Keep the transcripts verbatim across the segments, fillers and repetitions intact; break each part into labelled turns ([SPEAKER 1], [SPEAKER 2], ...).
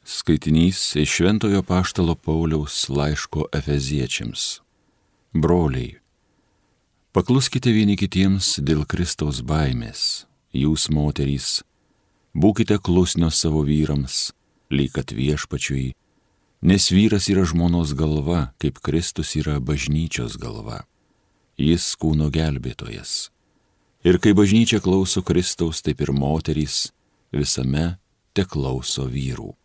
[SPEAKER 1] Skaitinys iš Šventojo Apaštalo Pauliaus laiško Efeziečiams. Broliai, pakluskite vieni kitiems dėl Kristaus baimės. Jūs, moterys, būkite klusnios savo vyrams, lyg kad viešpačiui, nes vyras yra žmonos galva, kaip Kristus yra bažnyčios galva. Jis kūno gelbėtojas. Ir kai bažnyčia klauso Kristaus, taip ir moterys visame te klauso vyrų.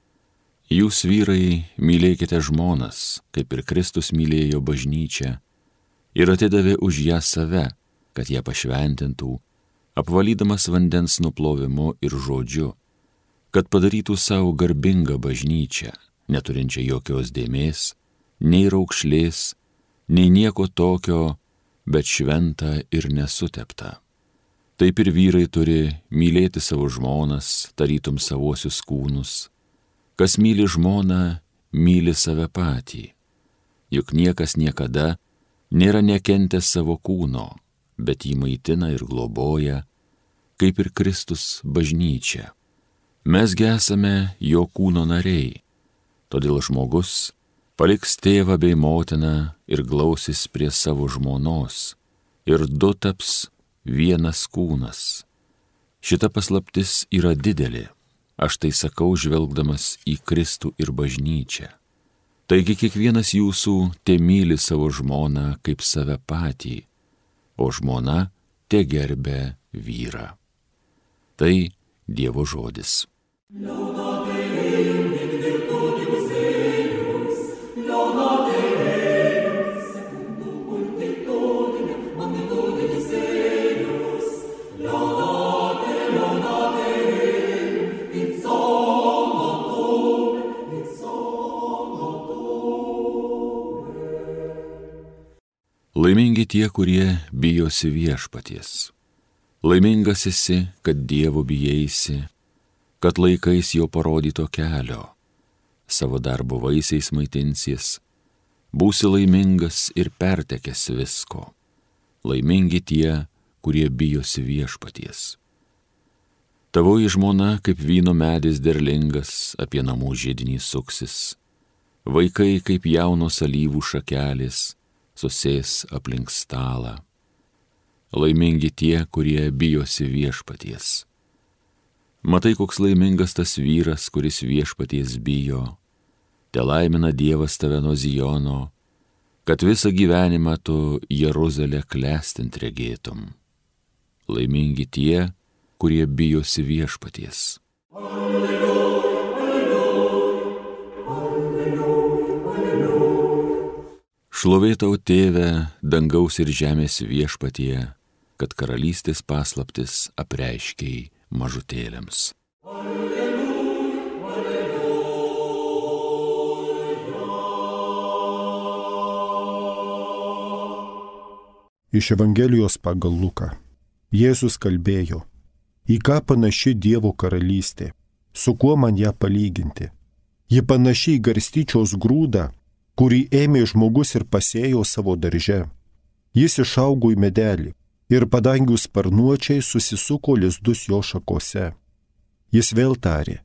[SPEAKER 1] Jūs, vyrai, mylėkite žmonas, kaip ir Kristus mylėjo bažnyčią ir atidavė už ją save, kad ją pašventintų, apvalydamas vandens nuplovimu ir žodžiu, kad padarytų savo garbingą bažnyčią, neturinčią jokios dėmės, nei raukšlės, nei nieko tokio, bet šventą ir nesuteptą. Taip ir vyrai turi mylėti savo žmonas, tarytum savosius kūnus. Kas myli žmoną, myli save patį. Juk niekas niekada nėra nekentęs savo kūno, bet jį maitina ir globoja, kaip ir Kristus bažnyčia. Mesgi esame jo kūno nariai, todėl žmogus paliks tėvą bei motiną ir glausis prie savo žmonos, ir du taps vienas kūnas. Šita paslaptis yra didelė. Aš tai sakau, žvelgdamas į Kristų ir bažnyčią. Taigi kiekvienas jūsų te myli savo žmoną kaip save patį, o žmona te gerbia vyrą. Tai Dievo žodis. Laimingi tie, kurie bijosi viešpaties. Laimingas esi, kad Dievo bijaisi, kad laikais jo parodyto kelio, savo darbo vaisiais maitinsies, būsi laimingas ir pertekęs visko. Laimingi tie, kurie bijosi viešpaties. Tavoji žmona kaip vyno medis derlingas apie namų židinį suksis, vaikai kaip jaunos alyvų šakelės, susės aplink stalą. Laimingi tie, kurie bijosi viešpaties. Matai, koks laimingas tas vyras, kuris viešpaties bijo. Te laimina Dievas tave nuo Zijono, kad visą gyvenimą tu Jeruzalę klestint regėtum. Laimingi tie, kurie bijosi viešpaties. Šlovė tau, Tėve, dangaus ir žemės viešpatie, kad karalystės paslaptis apreiškei mažutėliams. Alleluja,
[SPEAKER 2] alleluja. Iš Evangelijos pagal Luką. Jėzus kalbėjo: į ką panaši Dievo karalystė, su kuo man ją palyginti? Ji panaši į garstyčios grūdą, kurį ėmė žmogus ir pasėjo savo darže. Jis išaugo į medelį ir padangių sparnuočiai susisuko lizdus jo šakose. Jis vėl tarė: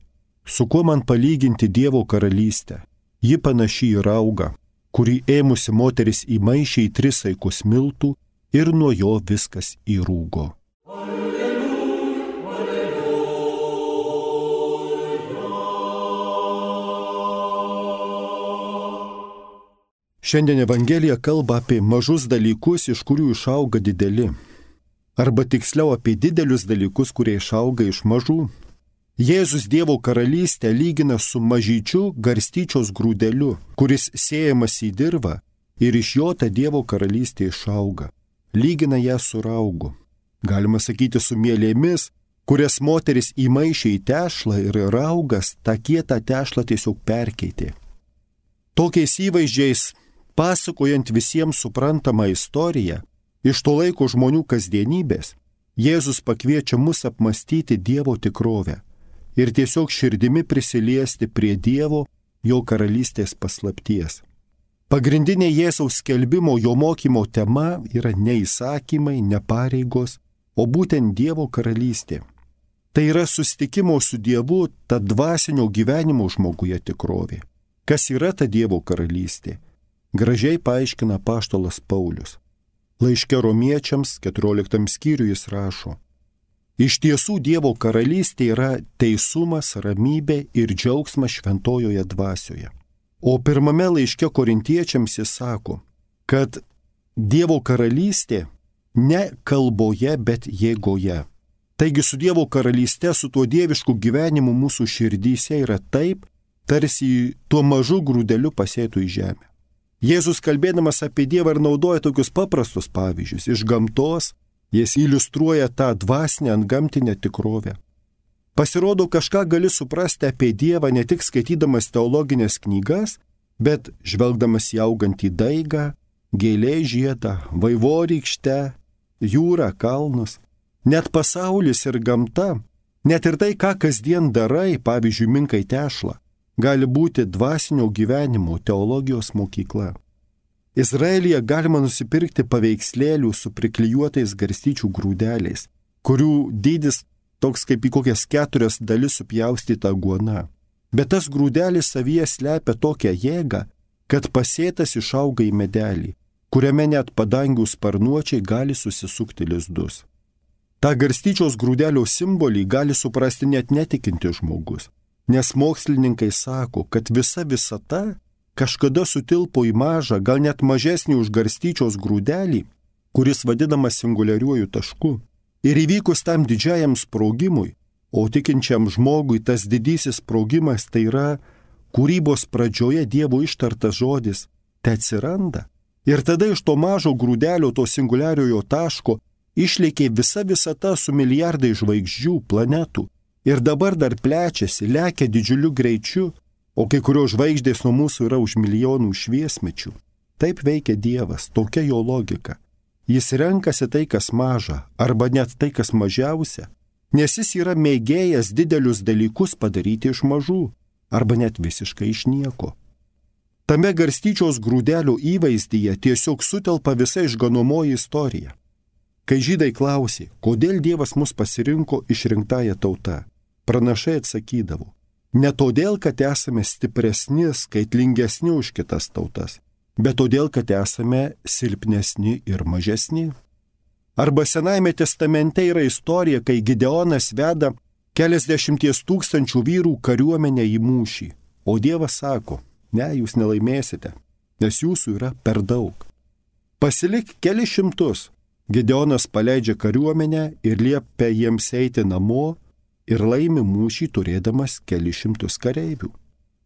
[SPEAKER 2] su kuo man palyginti Dievo karalystę? Ji panaši į raugą, kurį ėmusi moteris įmaišė į tris saikus miltų ir nuo jo viskas įrūgo. Šiandien Evangelija kalba apie mažus dalykus, iš kurių išauga dideli. Arba tiksliau apie didelius dalykus, kurie išauga iš mažų. Jėzus Dievo karalystę lygina su mažyčiu garstyčios grūdeliu, kuris sėjamas į dirvą ir iš jo ta Dievo karalystė išauga. Lygina ją su raugu. Galima sakyti su mielėmis, kurias moteris įmaišė į tešlą ir raugas tą kietą tešlą tiesiog perkeitė. Tokiais įvaizdžiais, pasakojant visiems suprantamą istoriją, iš to laiko žmonių kasdienybės, Jėzus pakviečia mus apmastyti Dievo tikrovę ir tiesiog širdimi prisiliesti prie Dievo, jo karalystės paslapties. Pagrindinė Jėzaus skelbimo, jo mokymo tema yra ne įsakymai, ne pareigos, o būtent Dievo karalystė. Tai yra susitikimo su Dievu, ta dvasinio gyvenimo žmoguje tikrovė. Kas yra ta Dievo karalystė? Gražiai paaiškina apaštalas Paulius. Laiške Romiečiams keturioliktam skyriui jis rašo: Iš tiesų Dievo karalystė yra teisumas, ramybė ir džiaugsmas šventojoje dvasioje. O pirmame laiške Korintiečiams jis sako, kad Dievo karalystė ne kalboje, bet jėgoje. Taigi su Dievo karalyste, su tuo dievišku gyvenimu mūsų širdyse yra taip, tarsi tuo mažu grūdeliu pasėtų į žemę. Jėzus kalbėdamas apie Dievą ir naudoja tokius paprastus pavyzdžius iš gamtos, jis iliustruoja tą dvasinę antgamtinę tikrovę. Pasirodo, kažką gali suprasti apie Dievą ne tik skaitydamas teologinės knygas, bet žvelgdamas į augantį daigą, gėlė žiedą, vaivorykštę, jūrą, kalnus. Net pasaulis ir gamta, net ir tai, ką kasdien darai, pavyzdžiui, minkai tešlą, gali būti dvasinio gyvenimo teologijos mokykla. Izraelyje galima nusipirkti paveikslėlių su priklijuotais garstyčių grūdeliais, kurių dydis toks kaip į kokias keturias dalis supjaustyta guona. Bet tas grūdelis savyje slepia tokią jėgą, kad pasėtas išauga į medelį, kuriame net padangių sparnuočiai gali susisukti lizdus. Ta garstyčios grūdelio simbolį gali suprasti net netikintis žmogus, nes mokslininkai sako, kad visa visata kažkada sutilpo į mažą, gal net mažesnį už garstyčios grūdelį, kuris vadinamas singuliariuoju tašku. Ir įvykus tam didžiajam sprogimui, o tikinčiam žmogui tas didysis sprogimas tai yra kūrybos pradžioje Dievo ištartas žodis, te atsiranda. Ir tada iš to mažo grūdelio, to singuliariojo taško, išlėkė visa visata su milijardai žvaigždžių, planetų. Ir dabar dar plečiasi, lekia didžiuliu greičiu, o kai kurios žvaigždės nuo mūsų yra už milijonų šviesmečių. Taip veikia Dievas, tokia jo logika. Jis renkasi tai, kas maža, arba net tai, kas mažiausia, nes jis yra mėgėjas didelius dalykus padaryti iš mažų, arba net visiškai iš nieko. Tame garstyčios grūdelio įvaizdyje tiesiog sutelpa visa išganomoji istorija. Kai žydai klausė, kodėl Dievas mus pasirinko išrinktąją tautą, pranašai atsakydavo, ne todėl, kad esame stipresni, skaitlingesni už kitas tautas, bet todėl, kad esame silpnesni ir mažesni. Arba Senajame testamente yra istorija, kai Gideonas veda keliasdešimties tūkstančių vyrų kariuomenę į mūšį, o Dievas sako, ne, jūs nelaimėsite, nes jūsų yra per daug. Pasilik keli šimtus. Gideonas paleidžia kariuomenę ir liepia jiems eiti namo ir laimi mūšį turėdamas keli šimtus kareivių.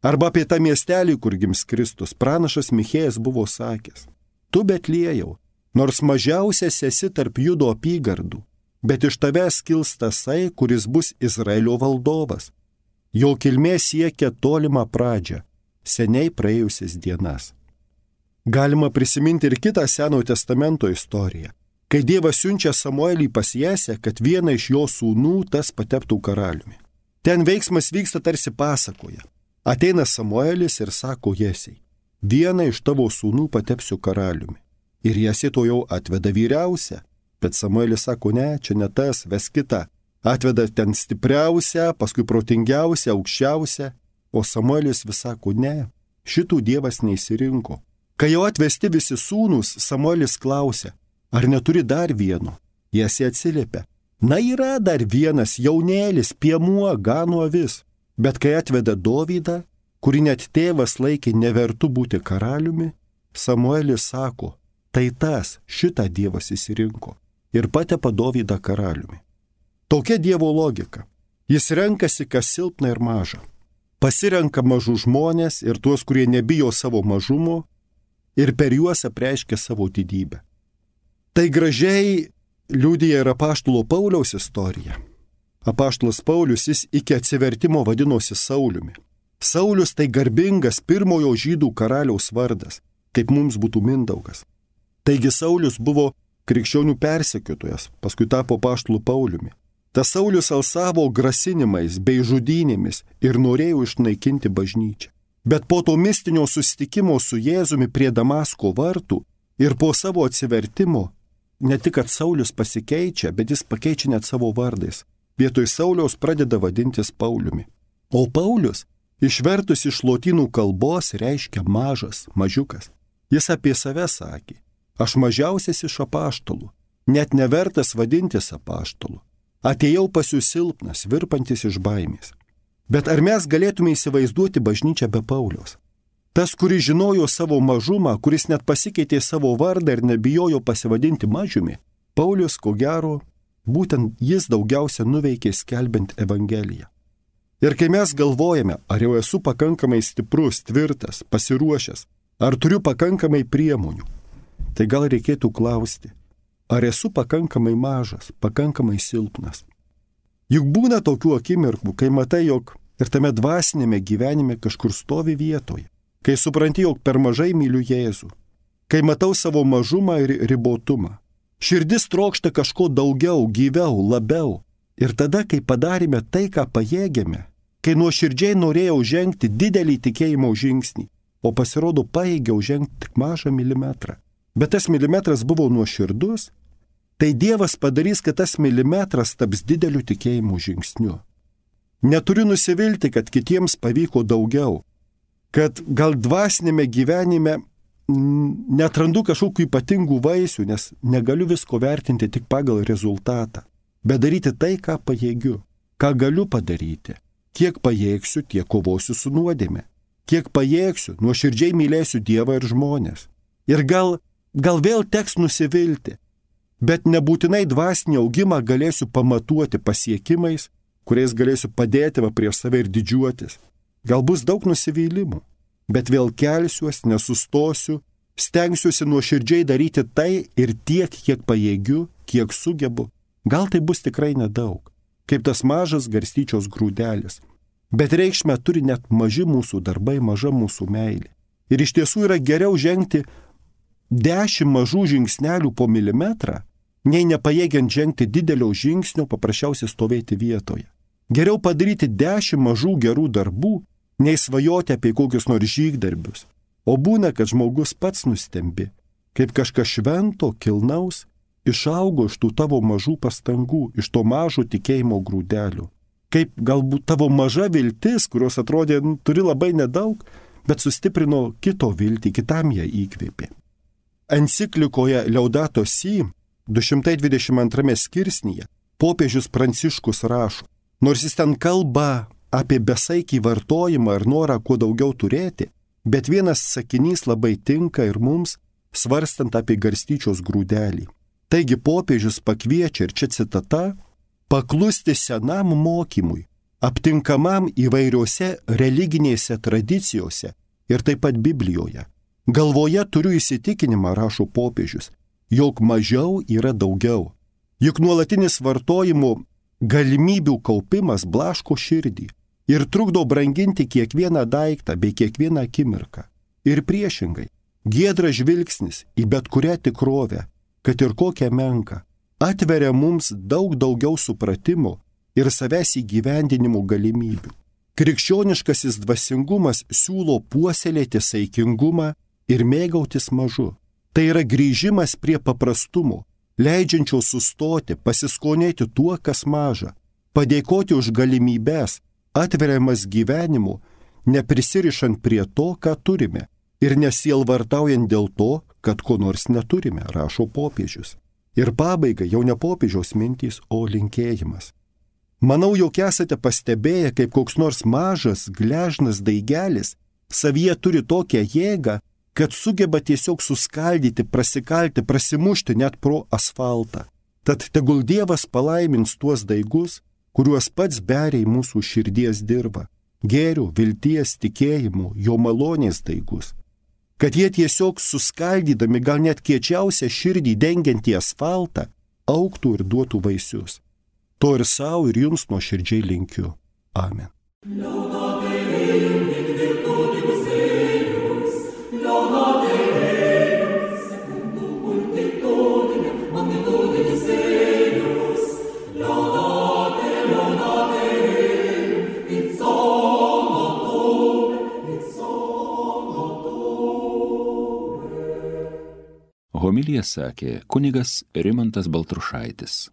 [SPEAKER 2] Arba apie tą miestelį, kur gims Kristus, pranašas Michėjas buvo sakęs, tu Betliejau, nors mažiausias esi tarp Judo apygardų, bet iš tavęs kils tasai, kuris bus Izraelio valdovas. Jo kilmė siekia tolimą pradžią, seniai praėjusias dienas. Galima prisiminti ir kitą Senojo testamento istoriją, kai Dievas siunčia Samuelį pas Jesę, kad vieną iš jo sūnų tas pateptų karaliumi. Ten veiksmas vyksta tarsi pasakoje. Ateina Samuelis ir sako Jesei, vieną iš tavo sūnų patepsiu karaliumi. Ir Jesė to jau atveda vyriausią, bet Samuelis sako, ne, čia ne tas, ves kitą. Atveda ten stipriausią, paskui protingiausią, aukščiausią, o Samuelis vis sako, ne, šitų Dievas neįsirinko. Kai jau atvesti visi sūnus, Samuelis klausia, ar neturi dar vieno? Jesė atsiliepia, na yra dar vienas jaunėlis, piemuo, gano avis. Bet kai atveda Dovydą, kurį net tėvas laikė nevertu būti karaliumi, Samuelis sako, tai tas, šitą Dievas įsirinko ir patepa Dovydą karaliumi. Tokia Dievo logika. Jis renkasi, kas silpna ir maža. Pasirenka mažų žmonės ir tuos, kurie nebijo savo mažumo ir per juos apreiškia savo didybę. Tai gražiai liudija ir apaštalo Pauliaus istorija. Apaštalas Paulius jis iki atsivertimo vadinosi Sauliumi. Saulius tai garbingas pirmojo žydų karaliaus vardas, kaip mums būtų Mindaugas. Taigi Saulius buvo krikščionių persekiotojas, paskui tapo apaštalu Pauliumi. Tas Saulius alsavo grasinimais bei žudynėmis ir norėjo išnaikinti bažnyčią. Bet po to mistinio susitikimo su Jėzumi prie Damasko vartų ir po savo atsivertimo, ne tik, kad Saulius pasikeičia, bet jis pakeičia net savo vardais. vietoj Sauliaus pradeda vadintis Pauliumi. O Paulius, išvertus iš lotynų kalbos, reiškia mažas, mažiukas. Jis apie save sakė, aš mažiausias iš apaštalų, net nevertas vadintis apaštalu. Atėjau pas jūs silpnas, virpantis iš baimės. Bet ar mes galėtume įsivaizduoti bažnyčią be Pauliaus? Tas, kuris žinojo savo mažumą, kuris net pasikeitė savo vardą ir nebijojo pasivadinti mažiumi, Paulius, ko gero, būtent jis daugiausia nuveikė skelbiant Evangeliją. Ir kai mes galvojame, ar jau esu pakankamai stiprus, tvirtas, pasiruošęs, ar turiu pakankamai priemonių, tai gal reikėtų klausti, ar esu pakankamai mažas, pakankamai silpnas. Juk būna tokių akimirkų, kai matai, jog ir tame dvasinėme gyvenime kažkur stovi vietoje, kai supranti, jog per mažai myliu Jėzų, kai matau savo mažumą ir ribotumą. Širdis trokšta kažko daugiau, gyviau, labiau. Ir tada, kai padarėme tai, ką pajėgėme, kai nuoširdžiai norėjau žengti didelį tikėjimo žingsnį, o pasirodo pajėgiau žengti tik mažą milimetrą. Bet tas milimetras buvo nuoširdus, tai Dievas padarys, kad tas milimetras taps dideliu tikėjimo žingsniu. Neturiu nusivilti, kad kitiems pavyko daugiau, kad gal dvasinėme gyvenime netrandu kažkokių ypatingų vaisių, nes negaliu visko vertinti tik pagal rezultatą, bet daryti tai, ką pajėgiu, ką galiu padaryti. Kiek pajėgsiu, tiek kovosiu su nuodėme. Kiek pajėgsiu, nuoširdžiai mylėsiu Dievą ir žmonės. Ir gal, gal vėl teks nusivilti, bet nebūtinai dvasinį augimą galėsiu pamatuoti pasiekimais, kuriais galėsiu padėti va prieš save ir didžiuotis. Gal bus daug nusivylimų, bet vėl kelsiuos, nesustosiu, stengsiuosi nuoširdžiai daryti tai ir tiek, kiek pajėgiu, kiek sugebu. Gal tai bus tikrai nedaug, kaip tas mažas garstyčios grūdelis. Bet reikšmę turi net maži mūsų darbai, maža mūsų meilė. Ir iš tiesų yra geriau žengti dešimt mažų žingsnelių po milimetrą, nei nepajėgiant žengti didelio žingsnio, paprasčiausiai stovėti vietoje. Geriau padaryti dešimt mažų gerų darbų, nei svajoti apie kokius nors žygdarbius. O būna, kad žmogus pats nustembi, kaip kažkas švento, kilnaus, išaugo iš tų tavo mažų pastangų, iš to mažo tikėjimo grūdelių. Kaip galbūt tavo maža viltis, kurios atrodė, nu, turi labai nedaug, bet sustiprino kito viltį, kitam ją įkvėpė. Enciklikoje Laudato Si, du šimtai dvidešimt antrame skirsnyje, popiežius Pranciškus rašo, nors jis ten kalba apie besaikį vartojimą ir norą kuo daugiau turėti, bet vienas sakinys labai tinka ir mums, svarstant apie garstyčios grūdelį. Taigi popiežius pakviečia, ir čia citata, paklusti senam mokymui, aptinkamam įvairiose religinėse tradicijose ir taip pat Biblijoje. Galvoje turiu įsitikinimą, rašo popiežius, jog mažiau yra daugiau. Juk nuolatinis vartojimo galimybių kaupimas blaško širdį ir trukdo branginti kiekvieną daiktą bei kiekvieną akimirką. Ir priešingai, giedras žvilgsnis į bet kurią tikrovę, kad ir kokią menką, atveria mums daug daugiau supratimo ir savęs įgyvendinimo galimybių. Krikščioniškasis dvasingumas siūlo puoselėti saikingumą ir mėgautis mažu. Tai yra grįžimas prie paprastumo, leidžiančio sustoti, pasiskonėti tuo, kas maža, padėkoti už galimybės, atveriamas gyvenimu, neprisirišant prie to, ką turime, ir nesielvartaujant dėl to, kad ko nors neturime, rašo popiežius. Ir pabaiga jau ne popiežiaus mintys, o linkėjimas. Manau, jog esate pastebėję, kaip koks nors mažas, gležnas daigelis savyje turi tokią jėgą, kad sugeba tiesiog suskaldyti, prasikalti, prasimušti net pro asfaltą. Tad tegul Dievas palaimins tuos daigus, kuriuos pats beria į mūsų širdies dirvą, gėrio, vilties, tikėjimo, jo malonės daigus. Kad jie tiesiog suskaldydami gal net kiečiausią širdį dengiantį asfaltą, augtų ir duotų vaisius. To ir savo, ir jums nuoširdžiai linkiu. Amen.
[SPEAKER 1] Homiliją sakė kunigas Rimantas Baltrušaitis.